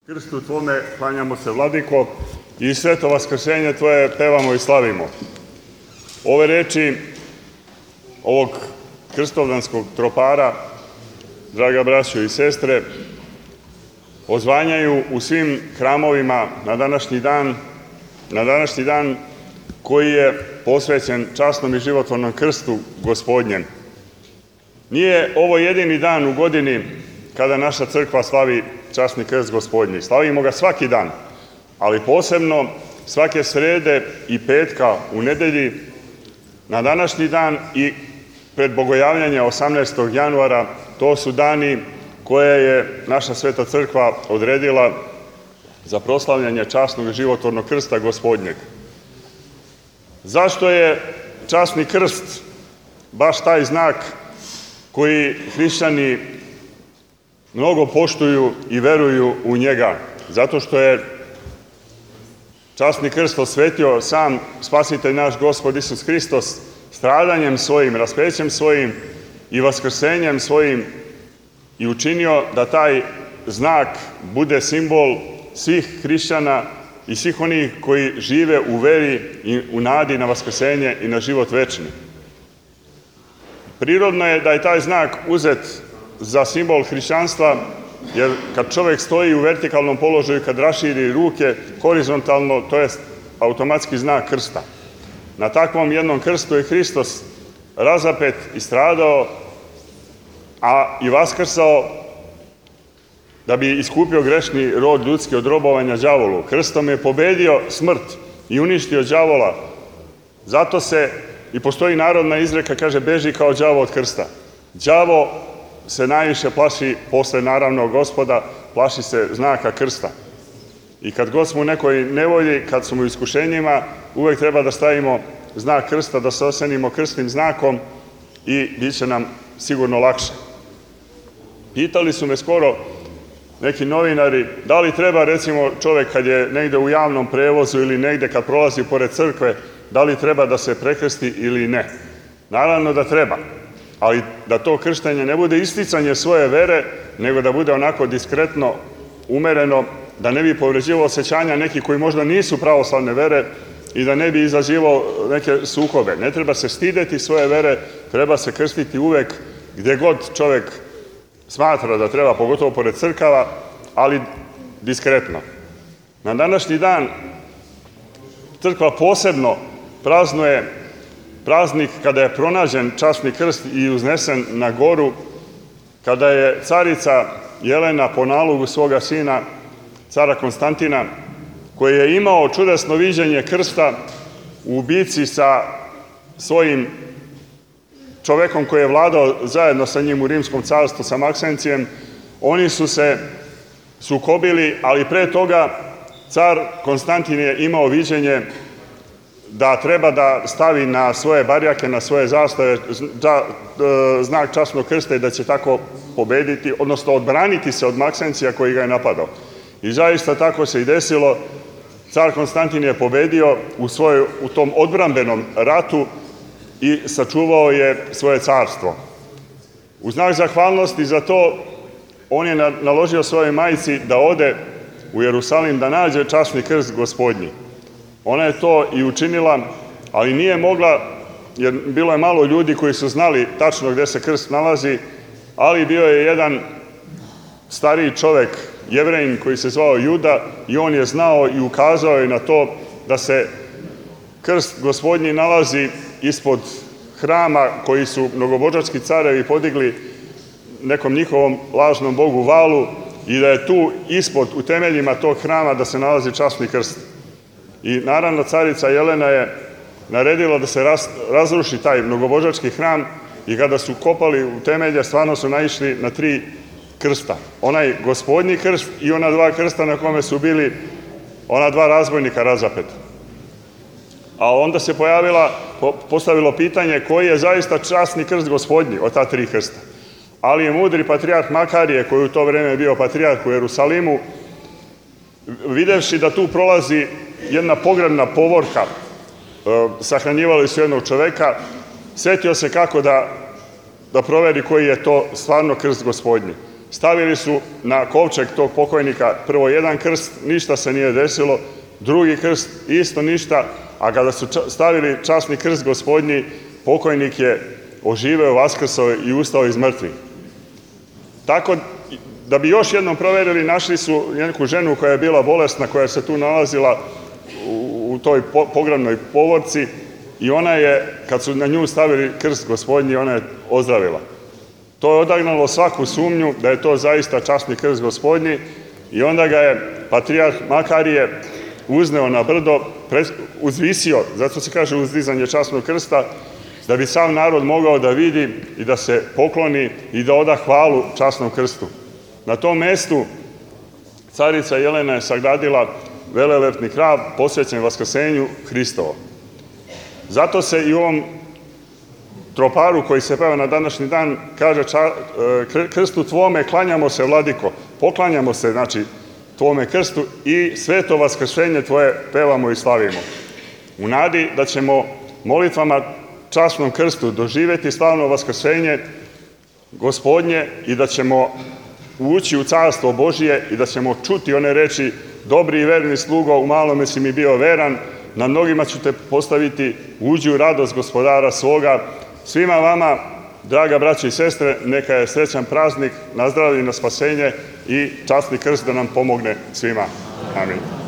Krstu Tvome klanjamo se, Vladiko, i sveto vaskrsenje Tvoje pevamo i slavimo. Ove reči ovog krstovdanskog tropara, draga braćo i sestre, odzvanjaju u svim hramovima na današnji dan koji je posvećen časnom i životvornom krstu Gospodnjem. Nije ovo jedini dan u godini kada naša crkva slavi časni krst Gospodnji. Slavimo ga svaki dan, ali posebno svake srede i petka u nedelji, na današnji dan i pred bogojavljanje 18. januara, to su dani koje je naša sveta crkva odredila za proslavljanje časnog i životvornog krsta Gospodnjeg. Zašto je časni krst baš taj znak koji hrišćani mnogo poštuju i veruju u njega? Zato što je časni krst osvetio sam Spasitelj naš Gospod Isus Hristos stradanjem svojim, raspećem svojim i vaskrsenjem svojim i učinio da taj znak bude simbol svih hrišćana i svih onih koji žive u veri i u nadi na vaskrsenje i na život večni. Prirodno je da je taj znak uzet za simbol hrišćanstva, jer kad čovjek stoji u vertikalnom položaju, kad raširi ruke horizontalno, to je automatski znak krsta. Na takvom jednom krstu je Hristos razapet i stradao, a i vaskrsao da bi iskupio grešni rod ljudski od robovanja đavolu. Krstom je pobedio smrt i uništio đavola. Zato se i postoji narodna izreka, kaže, beži kao đavo od krsta. Đavo se najviše plaši, posle naravno Gospoda, plaši se znaka krsta. I kad god smo u nekoj nevolji, kad smo u iskušenjima, uvek treba da stavimo znak krsta, da se osenimo krstnim znakom i bit će nam sigurno lakše. Pitali su me skoro neki novinari, da li treba, recimo, čovek kad je negde u javnom prevozu ili negde kad prolazi pored crkve, da li treba da se prekrsti ili ne? Naravno da treba, ali da to krštenje ne bude isticanje svoje vere, nego da bude onako diskretno, umereno, da ne bi povređivao osjećanja neki koji možda nisu pravoslavne vere i da ne bi izazivao neke sukobe. Ne treba se stideti svoje vere, treba se krstiti uvek gde god čovek smatra da treba, pogotovo pored crkava, ali diskretno. Na današnji dan crkva posebno praznuje praznik kada je pronađen časni krst i uznesen na goru, kada je carica Jelena po nalogu svoga sina, cara Konstantina, koji je imao čudesno viđenje krsta u bici sa svojim čovekom koji je vladao zajedno sa njim u Rimskom carstvu, sa Maksencijem, oni su se sukobili, ali pre toga car Konstantin je imao viđenje da treba da stavi na svoje barjake, na svoje zastave znak časnog krsta i da će tako pobediti, odnosno odbraniti se od Maksencija koji ga je napadao. I zaista tako se i desilo. Car Konstantin je pobedio u tom odbrambenom ratu i sačuvao je svoje carstvo. U znak zahvalnosti za to, on je naložio svojoj majci da ode u Jerusalim da nađe časni krst Gospodnji. Ona je to i učinila, ali nije mogla, jer bilo je malo ljudi koji su znali tačno gde se krst nalazi, ali bio je jedan stariji čovek, Jevrejin, koji se zvao Juda, i on je znao i ukazao je na to da se krst Gospodnji nalazi ispod hrama koji su mnogobožački carevi podigli nekom njihovom lažnom bogu Valu i da je tu ispod, u temeljima tog hrama, da se nalazi časni krst. I naravno carica Jelena je naredila da se razruši taj mnogobožački hram i kada su kopali u temelje, stvarno su naišli na 3 krsta. Onaj Gospodnji krst i ona 2 krsta na kome su bili ona 2 razbojnika razapeta. A onda se postavilo pitanje koji je zaista časni krst Gospodnji od ta 3 krsta. Ali je mudri patrijarh Makarije, koji u to vreme bio patrijarh u Jerusalimu, videvši da tu prolazi jedna pogrebna povorka, sahranjivali su jednog čoveka, setio se kako da proveri koji je to stvarno krst Gospodnji. Stavili su na kovčeg tog pokojnika prvo jedan krst, ništa se nije desilo, drugi krst, isto ništa, a kada su stavili časni krst Gospodnji, pokojnik je oživeo, vaskrsao i ustao iz mrtvih. Tako da bi još jednom proverili, našli su neku ženu koja je bila bolesna, koja se tu nalazila u toj pogrebnoj povorci i ona je, kad su na nju stavili krst Gospodnji, ona je ozdravila. To je odagnalo svaku sumnju da je to zaista časni krst Gospodnji i onda ga je patrijarh Makarije uzneo na brdo, uzvisio, zato se kaže uzdizanje časnog krsta, da bi sav narod mogao da vidi i da se pokloni i da oda hvalu časnom krstu. Na tom mestu carica Jelena je sagradila velelepni hram posvećen Vaskrsenju Hristovo. Zato se i u ovom troparu koji se peva na današnji dan kaže krstu tvome klanjamo se, vladiko, poklanjamo se, znači, tvome krstu i sveto vaskrsenje tvoje pevamo i slavimo. U nadi da ćemo molitvama časnom krstu doživeti slavno vaskrsenje Gospodnje i da ćemo ući u carstvo Božije i da ćemo čuti one reči: dobri i verni slugo, u malome si mi bio veran, na mnogima ću te postaviti, uđi u radost gospodara svoga. Svima vama, draga braće i sestre, neka je srećan praznik, na zdravlje i na spasenje i časni krst da nam pomogne svima. Amin.